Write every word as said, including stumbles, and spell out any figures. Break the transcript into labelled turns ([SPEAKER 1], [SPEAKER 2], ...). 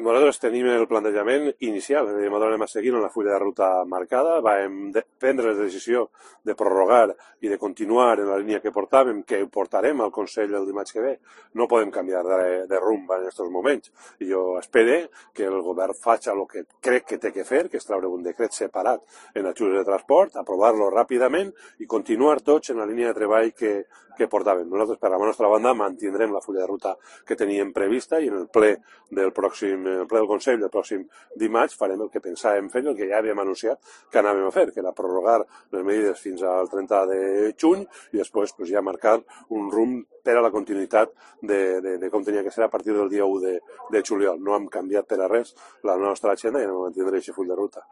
[SPEAKER 1] Nosaltres tenim el plantejament inicial, és a dir, nosaltres anem a seguir en la fulla de ruta marcada, vam de prendre la decisió de prorrogar i de continuar en la línia que portàvem, que portarem al Consell el dimarts que ve. No podem canviar de, de rumb en aquests moments. I jo espero que el govern faci el que crec que té que fer, que és treure un decret separat en ajudes de transport, aprovar-lo ràpidament i continuar tots en la línia de treball que, que portàvem. Nosaltres, per la nostra banda, mantindrem la fulla de ruta que teníem prevista i en el ple del pròxim el ple del Consell del pròxim dimarts farem el que pensàvem fer, el que ja havíem anunciat que anàvem a fer, que era prorrogar les medides fins al trenta de juny i després pues, ja marcar un rumb per a la continuïtat de, de, de com tenia que ser a partir del dia u de, de juliol. No hem canviat per a res la nostra agenda i anem a mantindre aquest full de ruta.